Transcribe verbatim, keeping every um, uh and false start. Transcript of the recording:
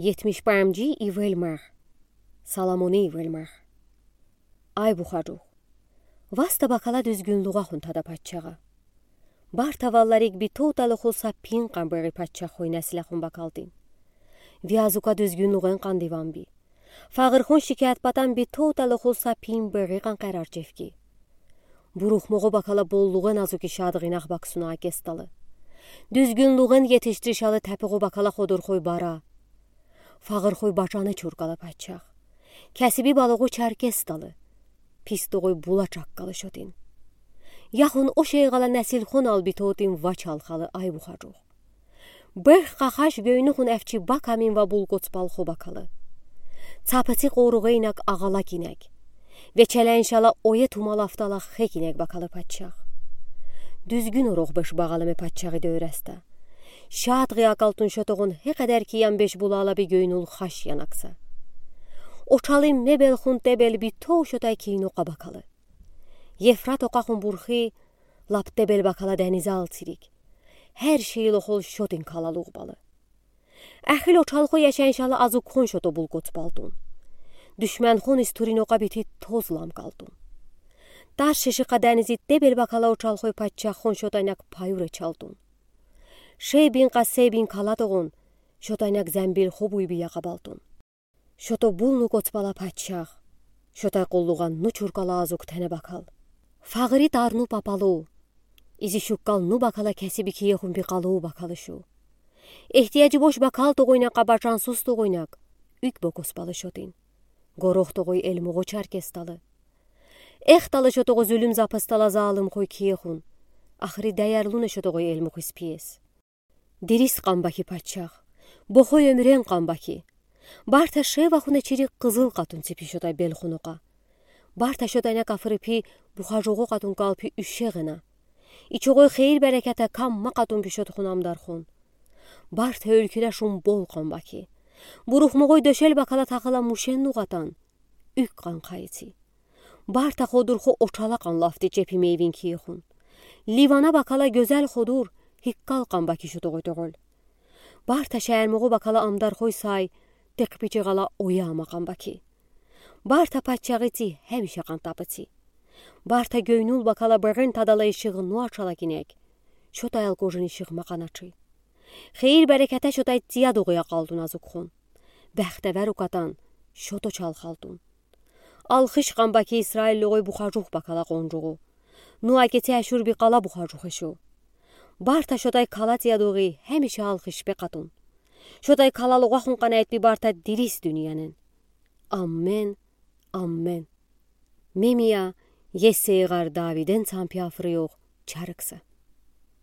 Етмиш бамжи ивелмар. Соломони ивелмар. Ай бухару, васта бакала дуьзгюнлугъахун тада пачагъа. Барта валларик битоталыхул са пин къанбери пачагъхой несилехун бакалдин. Ви азука дуьзгюнлугъен къандиванби. Фагъырхун шикаят патан битоталыхул са пин бери къанкъарар чевки. Бурухмагъо бакала боллугъен азуки шадгъинах баксуна акесталы. Дуьзгюнлугъен етишдиришалы тапугъу бакала ходурхой бара. Фагъырхой бачаны чуркала пачагъ. Кесиби балугъу чаркесталы. Пис тогъой була чаккалы шотин. Яхун ошейгъала несилхун албитотин вач алхалы ай бухару. Бех къахаш гёйнухун эвчи бакамин ва булкоцпалхо бакалы. Цапыци къоругъа инаг агъалак инаг. Ве челеншала ое тумалафтала хек инаг бакалы пачагъ. Дуьзгюн орох беш багъаламе пачагъи дёресте. Шадгъи акалтун шотогъун хекъедер киям беш булала би гёйнул хаш янакса. Очалим мебелхун тебел битов шотай кийнокъа бакалы. Евфрат окъахун бурхи лап тебел бакала денизал цирик. Хер шиилохол шотин калалугъ балы. Эхил очалхо яшаншала азукхун шото булкоцпалтун. Душманхун истурин окъа бити тоз ламкалтун. Тар шешикъа денизи тебел бакала очалхой пачагъхун шотайнаг паюре чалтун. Шебин къа себин калатогъун шотайнаг замбил хобуй бия къабалтун. Шото булну коцпала пачагъ. Шотай къуллугъа ну чуркала азук тене бакал. Фагъыри тарну папалу. Изи шуккалну бакала кесиби киехун бикъалу бакалы шу. Ихтияжи бош бакал тогъойнаг къа бачансуз тогъойнаг. Уьк бокоспалы шотин. Горох тогъой элмугъу чаркесталы. Эхталы шотогъу зулум запыстала залымхой киехун. Ахри даярлуна шотогъой элмугъиз пиес. Дирис къанбаки пачагъ. Бохой оьмюрен къанбаки. Барта шевахуна чирик къызыл къатун ципи шотай белхунукъа. Барта шотайнаг афырипи бухажугъу къатун калпи уьшегъена. Ичогъой хейир-берекете камма къатун бишотхун амдархун. Барта уьлкюде шумбол къанбаки. Бурухмугъой дёшел бакала тахыла мушен нугъатан. Уьк къанкъайци. Барта ходурхо очала къанлафти чепи мейвин киехун. Ливана бакала гёзел ходур, хиккал къанбаки шотогъой тогъол. Барта шаярмугъу бакала амдархой сай, текъпичигъала оя ама къанбаки. Барта пачагъици, хемиша къантапыци. Барта гёйнул бакала бырын тадалай шыгъну ачалакинек. Шотай алкожини шыгъма къаначи. Хейир-берекете шотай цияд огъуя къалтун азукхун. Бехтевер укатан, шото чалхалтун. Алхыш къанбаки Исраиллугъой бухажух бакала къонжугъу. Ну акеци ашур бикъала бухажух эшу. Барта шотай кала цияд огъи хемиша алхыш бекъатун. Шотай калалугъахун къанайтби барта дирис дуниянен. Аммен, аммен. Мемия, Есейгъар Давиден цампи афрыйох чарыкса.